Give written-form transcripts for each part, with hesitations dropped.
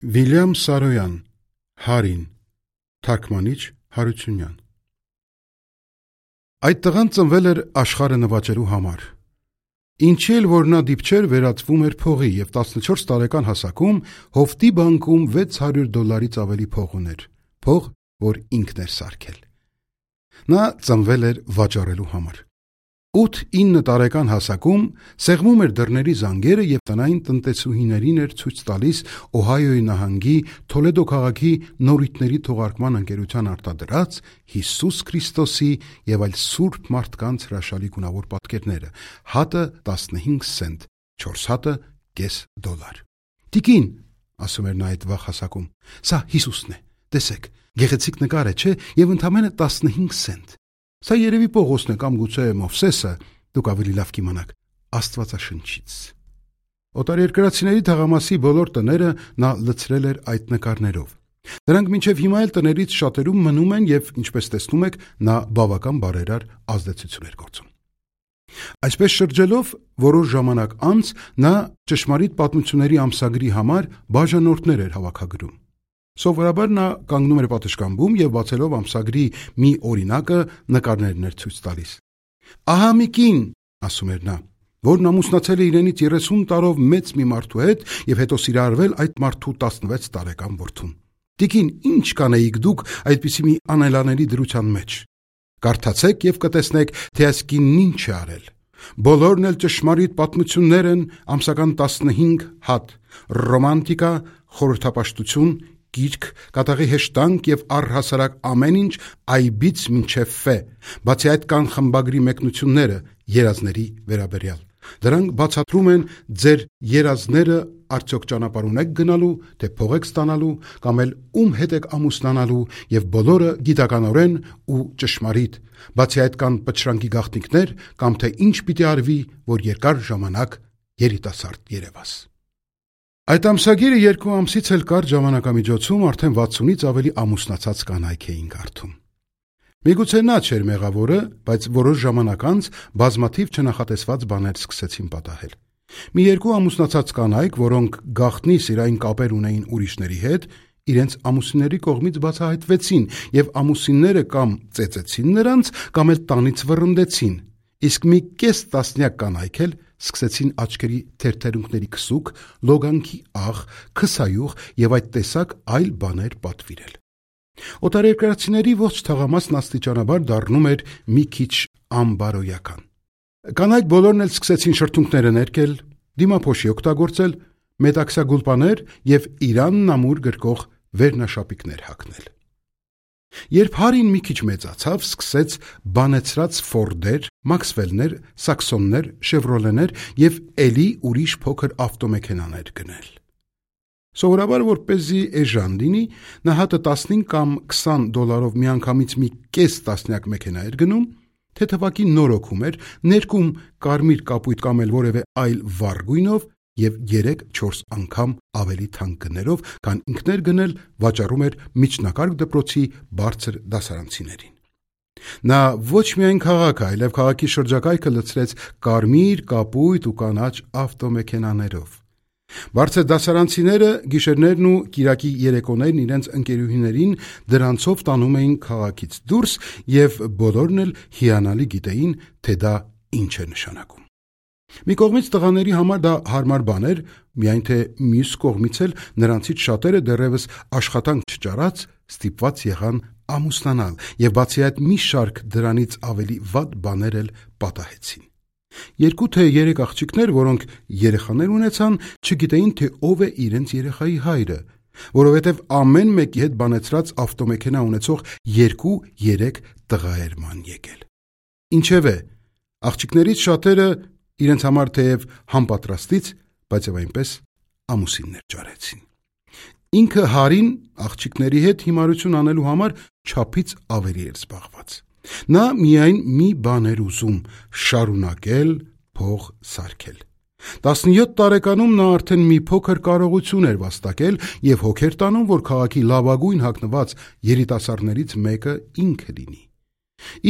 Վիլյամ Սարոյան, Հարին, թարգմանիչ Հարությունյան։ Այդ տղան ծնվել էր աշխարհը նվաճելու համար։ Ինչի էլ որ նա դիպչեր վերածվում էր փողի և 14 տարեկան հասակում հովտի բանկում $600 ավելի փող ուներ, փող, որ ինքն էր սարքել։ Նա ծնվել էր վաճառելու համար։ 8-9 տարեկան հասակում սեղմում էր դռների զանգերը և տնային տնտեսուհիներին էր ցույց տալիս Օհայոյի նահանգի Թոլեդո քաղաքի նորույթների թողարկման ընկերության արտադրած Հիսուս Քրիստոսի և այլ սուրբ մարդկանց հրաշալի գունավոր պատկերները, հատը 15 սենտ, 4 հատը $0.5։ Տիկին, ասում էր նա այդ վաղ հասակում, սա Հիսուսն է, տեսեք, գեղեցիկ նկար է, չէ, և ընդամենը 15 սենտ։ Սա երևի Պողոսն է կամ գուցե Մովսեսը, դուք ավելի լավ կիմանաք, Աստվածաշնչից։ Օտարերկրացիների թաղամասի բոլոր տները նա լցրել էր այդ նկարներով։ Դրանք մինչև հիմա էլ տներից շատերում մնում են և, ինչպես տեսնում եք, նա բավական բարերար ազդեցություն էր գործում։ Այսպես շրջելով, որոշ ժամանակ անց նա ճշմարիտ պատմությունների ամսագրի համար բաժանորդներ էր հավաքագրում։ Սովորաբար նա կանգնում էր պատշգամբում և բացելով ամսագրի մի օրինակը նկարներն էր ցույց տալիս։ Ահա մի կին, ասում էր նա, որն ամուսնացել է իրենից 30 տարով մեծ մի մարդու հետ և հետո սիրահարվել այդ մարդու 16 տարեկան որդուն։ Տիկին, ինչ կանեիք դուք այդպիսի մի անելանելի դրության մեջ։ Կարդացեք և կտեսնեք, թե այս կինն ինչ է արել։ Բոլորն էլ ճշմարիտ պատմություններ են, ամսական 15 հատ, ռոմանտիկա, խորհրդապաշտություն, գիրք, կատաղի հեշտանք և առհասարակ ամեն ինչ այբից մինչև ֆե, բացի այդ կան խմբագրի մեկնությունները երազների վերաբերյալ։ Դրանք բացատրում են ձեր երազները արդյոք ճանապարհ ունեք գնալու, թե փող եք ստանալու, կամ էլ ում հետ եք ամուսնանալու և բոլորը գիտականորեն ու ճշմարիտ, բացի այդ կան պտշրանքի գաղտնիքներ կամ թե ինչ պիտի արվի, որ երկար ժամանակ երիտասարդ երևաս։ Այդ ամսագիրը 2 ամսից էլ կարճ ժամանակամիջոցում արդեն 60-ից ավելի ամուսնացած կանայք էին կարդում։ Միգուցե նա չէր մեղավորը, բայց որոշ ժամանակ անց բազմաթիվ չնախատեսված բաներ սկսեցին պատահել։ Մի 2 ամուսնացած կանայք, որոնք գաղտնի սիրային կապեր ունեին ուրիշների հետ, իրենց ամուսինների կողմից բացահայտվեցին և ամուսինները կամ ծեծեցին նրանց, կամ էլ տանից վռնդեցին, իսկ մի կես տասնյակ կանայք էլ սկսեցին աչքերի թերթերունքների քսուկ, լոգանքի աղ, քսայուղ և այդ տեսակ այլ բաներ պատվիրել։ Օտարերկրացիների ողջ թաղամասն աստիճանաբար դառնում էր մի քիչ անբարոյական։ Կանայք բոլորն էլ սկսեցին շրթունքները ներկել, դիմափոշի օգտագործել, մետաքսյագուլպաներ և Իրանն ամուր գրկող վերնաշապիկներ հագնել։ Երբ Հարին մի քիչ մեծացավ, սկսեց բանեցրած Ֆորդեր, Մաքսվելներ, Սաքսոններ, Շևրոլեներ և էլի ուրիշ փոքր ավտոմեքենաներ գնել։ Սովորաբար որպեսզի էժան լինի, նա հատը 15 կամ $20 միանգամից մի կես տասնյակ մեքենա էր գնում, թեթևակի նորոգում էր, ներկում կարմիր կապույտ կամ էլ որևէ այլ վառ գույնով և 3-4 անգամ ավելի թանկ գներով, քան ինքն էր գնել, վաճառում էր միջնակարգ դպրոցի բարձր դասարանցիներին։ Նա ոչ միայն քաղաքը, այլև քաղաքի շրջակայքը լցրեց կարմիր, կապույտ ու կանաչ ավտոմեքենաներով։ Բարձր դասարանցիները գիշերներն ու կիրակի երեկոներն իրենց ընկերուհիներին դրանցով տանում էին քաղաքից դուրս և բոլորն էլ հիանալի գիտեին, թե դա ինչ է նշանակում։ Մի կողմից տղաների համար դա հարմար բան էր, միայն թե մյուս կողմից էլ նրանցից շատերը դեռևս աշխատանք չճարած ստիպված եղան ամուսնանալ և բացի այդ մի շարք դրանից ավելի վատ բաներ էլ պատահեցին։ 2 թե 3 աղջիկներ, որոնք երեխաներ ունեցան, չգիտեին, թե ով է իրենց երեխայի հայրը, որովհետև ամեն մեկի հետ բանեցրած ավտոմեքենա ունեցող 2-3 տղա էր ման եկել։ Ինչևէ, աղջիկներից շատերը իրենց համար թեև համպատրաստից, բայց և այնպես ամուսիններ ճարեցին։ Ինքը Հարին աղջիկների հետ հիմարություն անելու համար չափից ավելի էր զբաղված։ Նա միայն մի բան էր ուզում՝ շարունակել փող սարքել։ 17 տարեկանում նա արդեն մի փոքր կարողություն էր վաստակել և հոգ էր տանում, որ քաղաքի լավագույն հագնված երիտասարդներից մեկը ինքը լինի։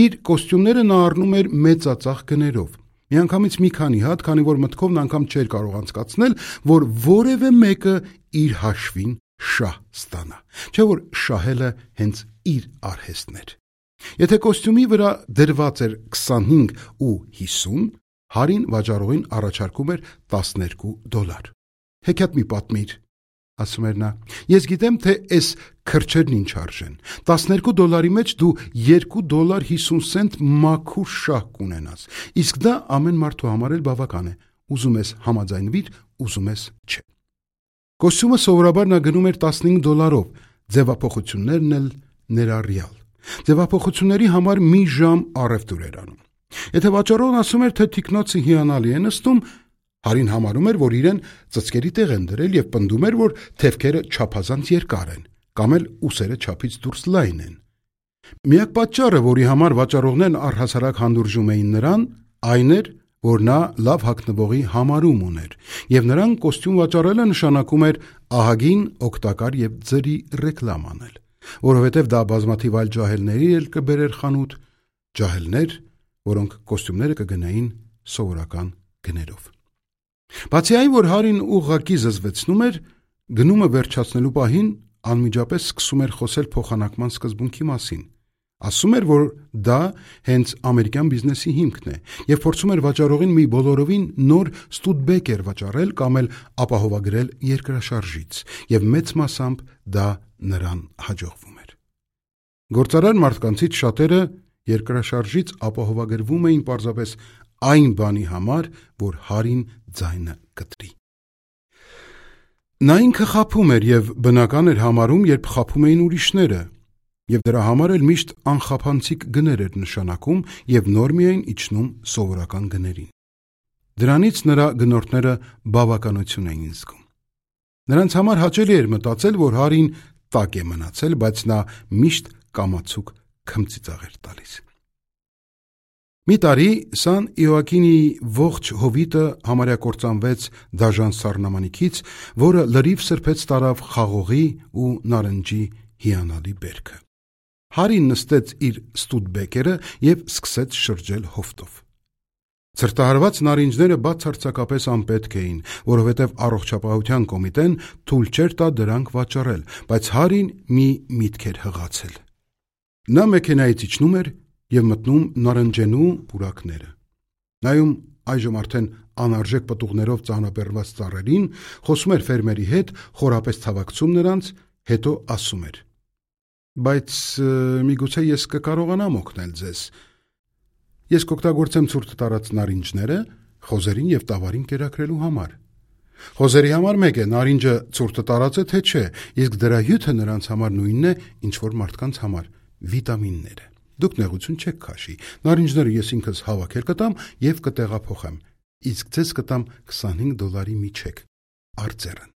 Իր կոստյումները նա առնում էր մեծածախ գներով։ Միանգամից մի քանի հատ, քանի որ մտքով անգամ չէր կարող անցկացնել, որ որևէ մեկը իր հաշվին շահ ստանա, չէ որ շահելը հենց իր արհեստն էր։ Եթե կոստյումի վրա դրված էր 25 ու 50, Հարին վաճառողին առաջարկում էր $12։ Հեքիաթ մի պատմիր, ասում էր նա, ես գիտեմ, թե այս քրչերն ինչ արժեն, $12 մեջ դու $2.50 մաքուր շահ կունենաս, իսկ դա ամեն մարդու համար էլ բավական է, ուզում ես համաձայնվիր, ուզում ես չէ։ Կոստյումը սովորաբար նա գնում էր $15, ձևափոխություններն էլ ներառյալ։ Ձևափոխությունների համար մի ժամ առևտուր էր անում։ Եթե վաճառողն ասում էր, թե թիկնոցը հիանալի է նստում, Հարին համարում էր, որ իրեն ծծկերի տեղ են դրել և պնդում էր, որ թևքերը չափազանց երկար են, կամ էլ ուսերը չափից դուրս լայն են։ Միակ պատճառը, որի համար վաճառողներն առհասարակ հանդուրժում էին նրան, այն էր, որ նա լավ հագնվողի համարում ուներ, և նրան կոստյում վաճառելը նշանակում էր ահագին, օգտակար և ձրի ռեկլամ անել, որովհետև դա բազմաթիվ այլ ջահելների էլ կբերեր խանութ, ջահելներ, որոնք կոստյումները կգնային սովորական գներով։ Բացի այն, որ Հարին ուղղակի զզվեցնում էր, գնումը վերջացնելու պահին անմիջապես սկսում էր խոսել փոխանակման սկզբունքի մասին։ Ասում էր, որ դա հենց ամերիկյան բիզնեսի հիմքն է և փորձում էր վաճառողին մի բոլորովին նոր Ստուդբեկեր վաճառել կամ էլ ապահովագրել երկրաշարժից, և մեծ մասամբ դա նրան հաջողվում էր։ Գործարար մարդկանցից շատերը երկրաշարժից ապահովագրվում էին պարզապես այն բանի համար, որ Հարին ձայնը կտրի։ Նա ինքը խաբում էր և բնական էր համարում, երբ խաբում էին ուրիշները, և դրա համար էլ միշտ անխափանցիկ գներ էր նշանակում և նոր միայն իջնում սովորական գներին։ Դրանից նրա գնորդները բավականություն էին զգում։ Նրանց համար հաճելի էր մտածել, որ Հարին տակ է մնացել, բայց նա միշտ կամացուկ քմծիծաղ էր տալիս։ Մի տարի Սան Իոակինիի ողջ հովիտը համարյա կործանվեց դաժան սառնամանիքից, որը լրիվ սրբեց տարավ խաղողի ու նարնջի հիանալի բերքը։ Հարին նստեց իր Ստուդբեկերը և սկսեց շրջել հովտով։ Ցրտահարված նարինջները բացարձակապես անպետք էին, որովհետև առողջապահության կոմիտեն թույլ չէր տա դրանք վաճառել, բայց Հարին մի միտք էր հղացել։ Նա մեքենայից իջնում էր և մտնում նարնջենու պուրակները։ Նայում այժմ արդեն անարժեք պտուղներով ծանրաբեռնված ծառերին, խոսում էր ֆերմերի հետ, խորապես ցավակցում նրանց, հետո ասում էր. Բայց միգուցե ես կկարողանամ օգնել ձեզ։ Ես կօգտագործեմ ցուրտ տարած նարինջները խոզերին և տավարին կերակրելու համար։ Խոզերի համար մեկ է, նարինջը ցուրտ տարած է թե չէ, իսկ դրա հյութը նրանց համար նույնն է, ինչ որ մարդկանց համար՝ վիտամինները։ Դուք նեղություն չեք քաշի, նարինջները ես ինքս հավաքել կտամ և կտեղափոխեմ, իսկ ձեզ կտամ $25 մի չեք, արծերն։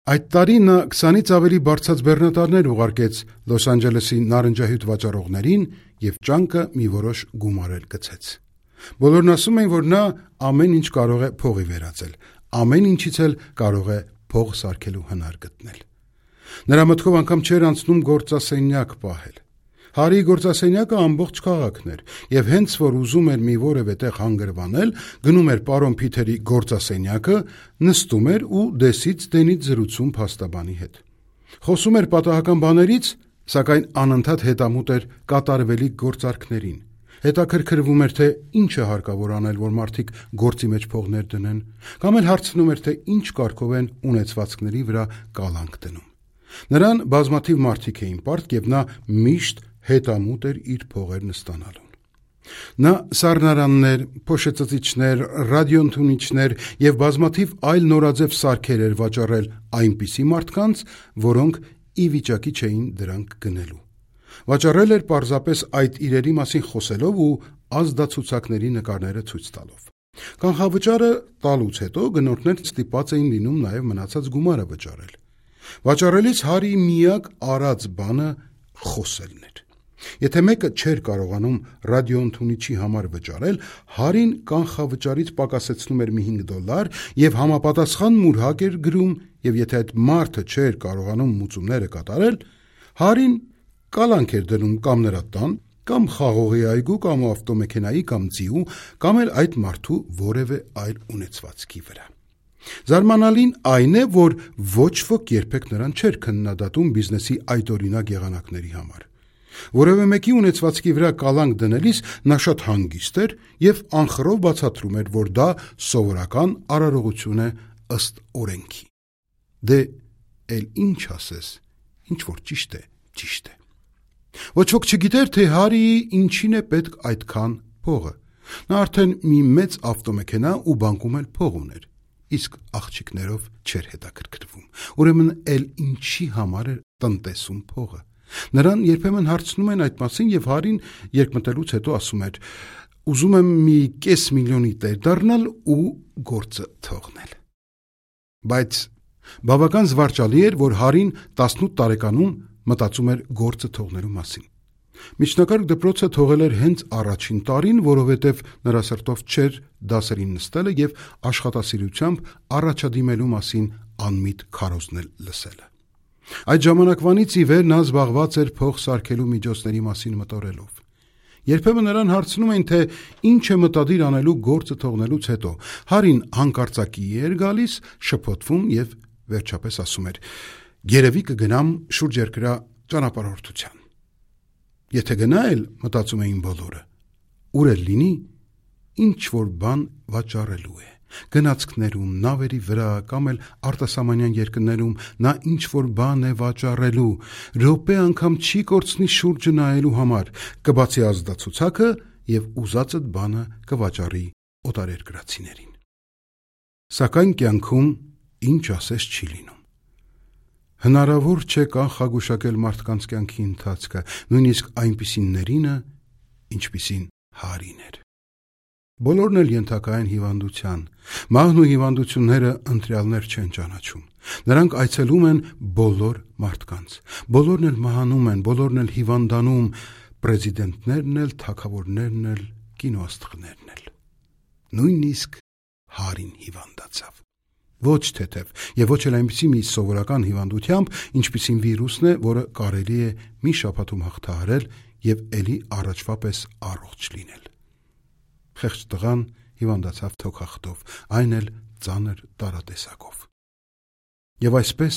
Այդ տարի նա 20-ից ավելի բարձած բեռնատարներ ուղարկեց Լոս Անջելեսի նարնջահյութ վաճառողներին և ճանկը մի որոշ գումար էլ գցեց։ Բոլորն ասում էին, որ նա ամեն ինչ կարող է փողի վերածել, ամեն ինչից էլ կարող է փող սարքելու հնար գտնել։ Նրա մտքով անգամ չէր անցնում գործասենյակ պահել։ Հարիի գործասենյակը ամբողջ քաղաքն էր, և հենց որ ուզում էր մի որևէ տեղ հանգրվանել, գնում էր պարոն Փիթերի գործասենյակը, նստում էր ու դեսից դենից զրուցում փաստաբանի հետ։ Խոսում էր պատահական բաներից, սակայն անընդհատ հետամուտ էր կատարվելիք գործարքներին։ Հետաքրքրվում էր, թե ինչ է հարկավոր անել, որ մարդիկ գործի մեջ փողներ դնեն, կամ էլ հարցնում էր, թե ինչ կարգով են ունեցվածքների վրա կալանք դնում։ Նրան բազմաթիվ մարդիկ էին պարտք, և նա միշտ հետամուտ էր իր փողերն ստանալուն։ Նա սառնարաններ, փոշեցծիչներ, ռադիոընդունիչներ և բազմաթիվ այլ նորաձև սարքեր էր վաճառել այնպիսի մարդկանց, որոնք ի վիճակի չէին դրանք գնելու։ Վաճառել էր պարզապես այդ իրերի մասին խոսելով ու ազդացուցակների նկարները ցույց տալով։ Կանխավճարը տալուց հետո գնորդներն ստիպված էին լինում նաև մնացած գումարը վճարել։ Վաճառելիս Հարիի միակ արած բանը խոսելն էր։ Եթե մեկը չէր կարողանում ռադիոընդունիչի համար վճարել, Հարին կանխավճարից պակասեցնում էր մի $5 և համապատասխան մուրհակ էր գրում, և եթե այդ մարդը չէր կարողանում մուծումները կատարել, Հարին կալանք էր դնում կամ նրա տան, կամ խաղողի այգու, կամ ավտոմեքենայի, կամ ձիու, կամ էլ այդ մարդու որևէ այլ ունեցվածքի վրա։ Զարմանալին այն է, որ ոչ ոք երբեք նրան չէր քննադատում բիզնեսի այդօրինակ եղանակների համար։ Որևէ մեկի ունեցվածքի վրա կալանք դնելիս նա շատ հանգիստ էր և անխռով բացատրում էր, որ դա սովորական արարողություն է ըստ օրենքի։ Դե էլ ինչ ասես, ինչ որ ճիշտ է, ճիշտ է։ Ոչ ոք չգիտեր, թե Հարիի ինչին է պետք այդքան փողը։ Նա արդեն մի մեծ ավտոմեքենա ու բանկում էլ փող ուներ, իսկ աղջիկներով չէր հետաքրքրվում։ Ուրեմն էլ ինչի համար էր տնտեսում փողը։ Նրան երբեմն հարցնում են այդ մասին և Հարին երկմտելուց հետո ասում էր. «Ուզում եմ մի $500,000 տեր դառնալ ու գործը թողնել»։ Բայց բավական զվարճալի էր, որ Հարին 18 տարեկանում մտածում էր գործը թողնելու մասին։ Միջնակարգ դպրոցը թողել էր հենց առաջին տարին, որովհետև նրա սրտով չէր դասերին նստելը և աշխատասիրությամբ առաջադիմելու մասին անմիտ քարոզներ լսելը։ Այդ ժամանակվանից ի վեր նա զբաղված էր փող սարքելու միջոցների մասին մտորելով։ Երբեմն նրան հարցնում էին, թե ինչ է մտադիր անելու գործը թողնելուց հետո։ Հարին հանկարծակի էր գալիս, շփոթվում և վերջապես ասում էր. «Երևի կգնամ շուրջերկրյա ճանապարհորդության»։ Եթե գնա էլ, մտածում էին բոլորը, ուր էլ լինի, ինչ որ բան վաճառելու է։ Գնացքներում, նավերի վրա կամ էլ արտասահմանյան երկրներում նա ինչ որ բան է վաճառելու, րոպե անգամ չի կորցնի շուրջը նայելու համար, կբացի ազդացուցակը և ուզածդ բանը կվաճառի օտարերկրացիներին։ Սակայն կյանքում ինչ ասես չի լինում։ Հնարավոր չէ կանխագուշակել մարդկանց կյանքի ընթացքը, նույնիսկ այնպիսիներինը, ինչպիսին Հարին էր։ Բոլորն էլ ենթակա են հիվանդության։ Մահն ու հիվանդությունները ընտրյալներ չեն ճանաչում։ Նրանք այցելում են բոլոր մարդկանց։ Բոլորն էլ մահանում են, բոլորն էլ հիվանդանում, պրեզիդենտներն էլ, թագավորներն էլ, կինոաստղներն էլ։ Նույնիսկ Հարին հիվանդացավ։ Ոչ թեթև և ոչ էլ այնպիսի մի սովորական հիվանդությամբ, ինչպիսին վիրուսն է, որը կարելի է մի շաբաթում հաղթահարել և էլի առաջվա պես առողջ լինել։ Խեղճ տղան հիվանդացավ թոքախտով, այն էլ ծանր տարատեսակով։ Եվ այսպես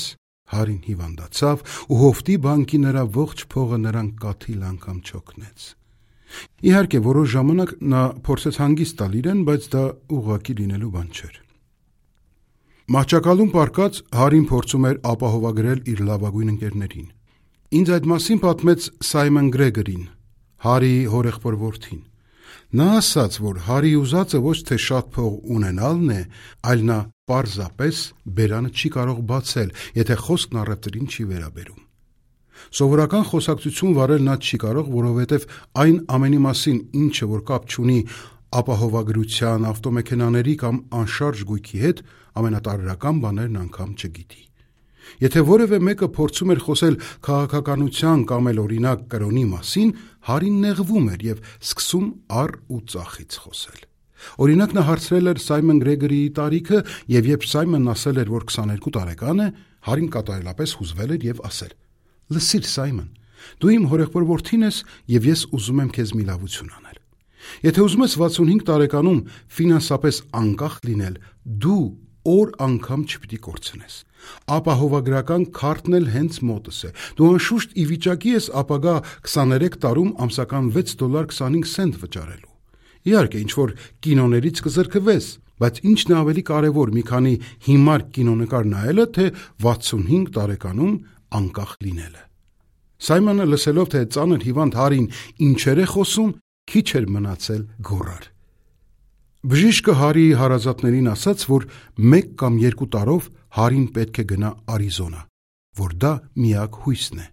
Հարին հիվանդացավ ու հովտի բանկի նրա ողջ փողը նրան կաթիլ անգամ չօգնեց։ Իհարկե, որոշ ժամանակ նա փորձեց հանգիստ տալ իրեն, բայց դա ուղղակի լինելու բան չէր։ Մահճակալում պառկած Հարին փորձում էր ապահովագրել իր լավագույն ընկերներին։ Ինձ այդ մասին պատմեց Սայմոն Գրեգորին, Հարիի հորեղբոր որդին։ Նա ասաց, որ Հարիի ուզածը ոչ թե շատ փող ունենալն է, այլ նա պարզապես բերանը չի կարող բացել, եթե խոսքն առևտրին չի վերաբերում։ Սովորական խոսակցություն վարել նա չի կարող, որովհետև այն ամենի մասին, ինչը որ կապ չունի ապահովագրության, ավտոմեքենաների կամ անշարժ գույքի հետ, ամենատարրական բաներն անգամ չգիտի։ Եթե որևէ մեկը փորձում էր խոսել քաղաքականության կամ էլ օրինակ կրոնի մասին, Հարին նեղվում էր և սկսում առ ու ծախից խոսել։ Օրինակ նա հարցրել էր Սայմոն Գրեգորիի տարիքը, և երբ Սայմոնն ասել էր, որ 22 տարեկան է, Հարին կատարելապես հուզվել էր և ասել. «Լսիր, Սայմոն, դու իմ հորեղբոր որդին ես և ես ուզում եմ քեզ մի լավություն անել։ Եթե ուզում ես 65 տարեկանում ֆինանսապես անկախ լինել, դու օր անգամ չպիտի կորցնես։ Ապահովագրական քարտն էլ հենց մոտս է։ Դու անշուշտ ի վիճակի ես ապագա 23 տարում ամսական $6.25 վճարելու։ Իհարկե, ինչ-որ կինոներից կզրկվես, բայց ինչն է ավելի կարևոր՝ մի քանի հիմար կինոնկար նայելը, թե 65 տարեկանում անկախ լինելը»։ Սայմոնը լսելով, թե ծանր հիվանդ Հարին ինչեր է խոսում, քիչ էր մնացել գոռար։ Բժիշկը Հարիի հարազատներին ասաց, որ 1 կամ 2 տարով Հարին պետք է գնա Արիզոնա, որ դա միակ հույսն է։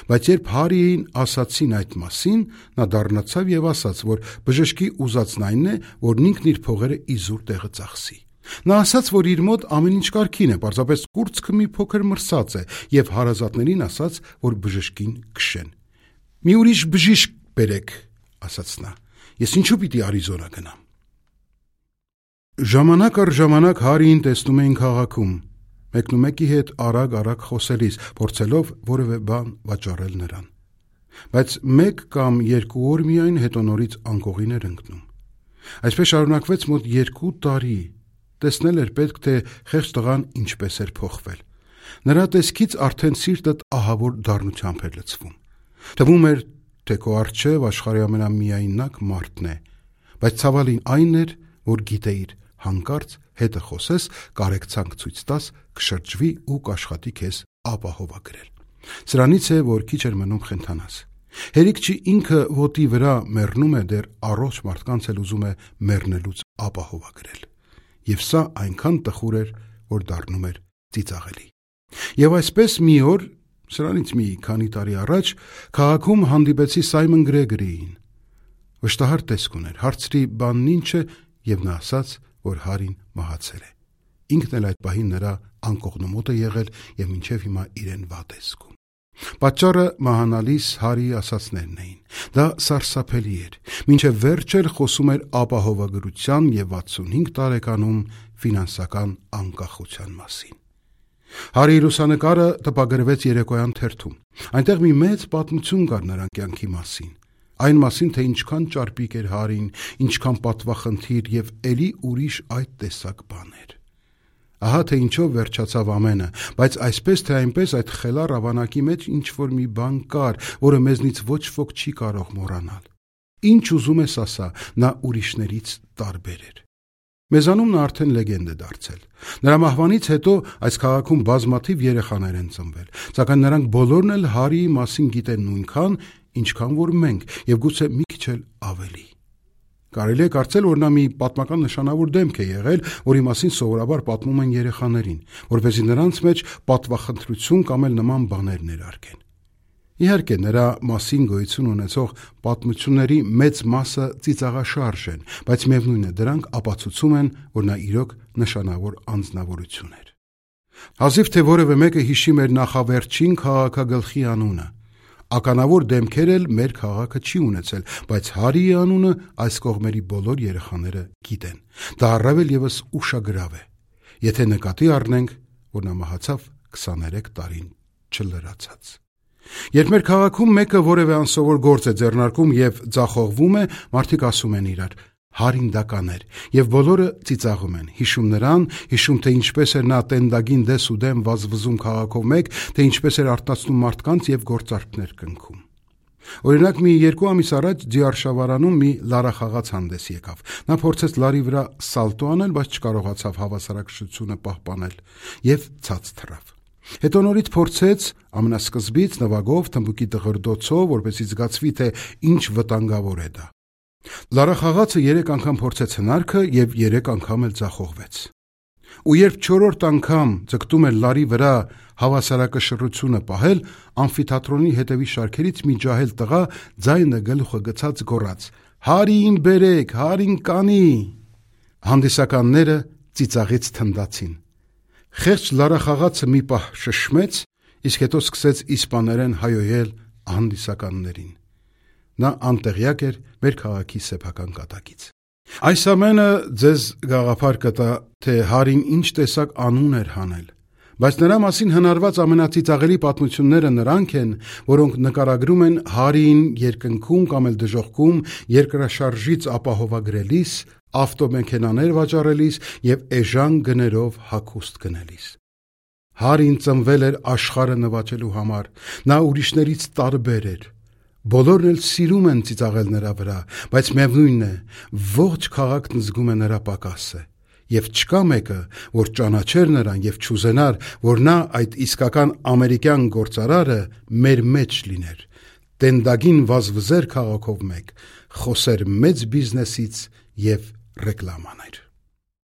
Բայց երբ Հարիին ասացին այդ մասին, նա դառնացավ և ասաց, որ բժշկի ուզածն այն է, որ ինքն իր փողերը իզուր տեղը ծախսի։ Նա ասաց, որ իր մոտ ամեն ինչ կարգին է, պարզապես կուրծքը մի փոքր մրսած է, և հարազատներին ասաց, որ բժշկին քշեն։ «Մի ուրիշ բժիշկ բերեք», ասաց նա, «ես ինչու պիտի Արիզոնա գնամ»։ Ժամանակ առ ժամանակ Հարիին տեսնում էին քաղաքում, մեկնումեկի հետ արագ խոսելիս, փորձելով որևէ բան վաճառել նրան։ Բայց 1 կամ 2 օր միայն, հետո նորից անկողին էր ընկնում։ Այսպես շարունակվեց մոտ 2 տարի, տեսնել էր պետք, թե խեղճ տղան ինչպես էր փոխվել։ Նրա տեսքից արդեն սիրտդ ահավոր դառնությամբ էր լցվում։ Թվում էր, թե քո առջև աշխարհի ամենամիայնակ մարդն է, բայց ցավալին այն էր, որ գիտեիր, հանկարծ հետը խոսես, կարեկցանք ցույց տաս, կշրջվի ու կաշխատի քեզ ապահովագրել։ Սրանից է, որ քիչ էր մնում խենթանաս։ Հերիք չի ինքը ոտի վրա մեռնում է, դեռ առողջ մարդկանց էլ ուզում է մեռնելուց ապահովագրել։ Եվ սա այնքան տխուր էր, որ դառնում էր ծիծաղելի։ Եվ այսպես մի օր, սրանից մի քանի տարի առաջ, քաղաքում հանդիպեցի Սայմոն Գրեգորիին։ Վշտահար տեսք ուներ, հարցրի բանն ինչ է, եւ նա ասաց, որ Հարին մահացել է։ Ինքն էլ այդ պահին նրա անկողնումոտ է եղել եւ մինչեւ հիմա իրեն վատ է զգում։ Պատճառը մահանալիս Հարիի ասացներն էին։ Դա սարսափելի էր։ Մինչև վերջ էլ խոսում էր ապահովագրության եւ 65 տարեկանում ֆինանսական անկախության մասին։ Հարիի լուսանկարը տպագրվեց երեկոյան թերթում։ Այնտեղ մի մեծ պատմություն կար նրա կյանքի մասին։ Այն մասին, թե ինչքան ճարպիկ էր Հարին, ինչքան պատվախնդիր եւ էլի ուրիշ այդ տեսակ բաներ։ Ահա թե ինչով վերջացավ ամենը, բայց այսպես թե այնպես այդ խելառ ավանակի մեջ ինչ-որ մի բան կար, որը մեզնից ոչ ոք չի կարող մոռանալ։ Ինչ ուզում ես ասա, նա ուրիշներից տարբեր էր։ Մեզանում նա արդեն լեգենդ է դարձել։ Նրա մահվանից հետո այս քաղաքում բազմաթիվ երեխաներ են ծնվել, սակայն նրանք բոլորն էլ Հարիի մասին գիտեն նույնքան, ինչքան որ մենք, եւ գուցե մի քիչ էլ ավելի։ Կարելի է կարծել, որ նա մի պատմական նշանավոր դեմք է եղել, որի մասին սովորաբար պատմում են երեխաներին, որպեսզի նրանց մեջ պատվախնդրություն կամ էլ նման բաներ ներարկեն։ Իհարկե, նրա մասին գոյություն ունեցող պատմությունների մեծ մասը ծիծաղաշարժ են, բայց միևնույն է, դրանք ապացուցում են, որ նա իրոք նշանավոր անձնավորություն էր։ Հազիվ թե որևէ մեկը հիշի մեր նախավերջին քաղաքագլխի անունը։ Ականավոր դեմքեր էլ մեր քաղաքը չի ունեցել, բայց Հարիի անունը այս կողմերի բոլոր երեխաները գիտեն։ Դա առավել եւս ուշագրավ է, եթե նկատի առնենք, որ նա մահացավ 23 տարին չլրացած։ Երբ մեր քաղաքում մեկը որևէ անսովոր գործ է ձեռնարկում եւ ձախողվում է, մարդիկ ասում են իրար. Հարին դա կաներ, եւ բոլորը ծիծաղում են, հիշում նրան, հիշում թե ինչպես էր նա տենդագին դես ու դեմ վազվզում քաղաքով մեկ, թե ինչպես էր արտացնում մարդկանց եւ գործարքներ կնքում։ Օրինակ մի 2 ամիս առաջ Ձիարշավարանում մի լարախաղաց հանդես եկավ։ Նա փորձեց լարի վրա սալտո անել, բայց չկարողացավ հավասարակշռությունը պահպանել եւ ցած թռավ։ Հետո նորից փորձեց ամենասկզբից նվագով, թմբուկի դղրդոցով, որպեսզի զգացվի, թե ինչ վտանգավոր է դա։ Լարախաղացը 3 անգամ փորձեց հնարքը եւ 3 անգամ էլ ձախողվեց։ Ու երբ 4-րդ անգամ ձգտում էր լարի վրա հավասարակշռությունը պահել, ամֆիթատրոնի հետևի շարքերից մի ջահել տղա ձայնը գլուխը գցած գոռաց. «Հարին բերեք, Հարին կանի»։ Հանդիսականները ծիծաղից թնդացին։ Խեղճ լարախաղացը մի պահ շշմեց, իսկ հետո սկսեց իսպաներեն հայոյել հանդիսականներին։ Նա անտեղյակ էր մեր քաղաքի սեփական կատակից։ Այս ամենը ձեզ գաղափար կտա, թե Հարին ինչ տեսակ անուն էր հանել, բայց նրա մասին հնարված ամենածիծաղելի պատմությունները նրանք են, որոնք նկարագրում են Հարիին երկնքում կամ էլ դժոխքում երկրաշարժից ապահովագրելիս, ավտոմեքենաներ վաճառելիս եւ էժան գներով հագուստ գնելիս։ Հարին ծնվել էր աշխարհը նվաճելու համար, նա ուրիշներից տարբեր էր։ Բոլորն էլ սիրում են ծիծաղել նրա վրա, բայց միևնույնն է, ողջ քաղաքն զգում է նրա պակասը, եւ չկա մեկը, որ ճանաչեր նրան եւ չուզենար, որ նա այդ իսկական ամերիկյան գործարարը մեր մեջ լիներ, տենդագին վազվզեր քաղաքով մեկ, խոսեր մեծ բիզնեսից եւ ռեկլամաներ։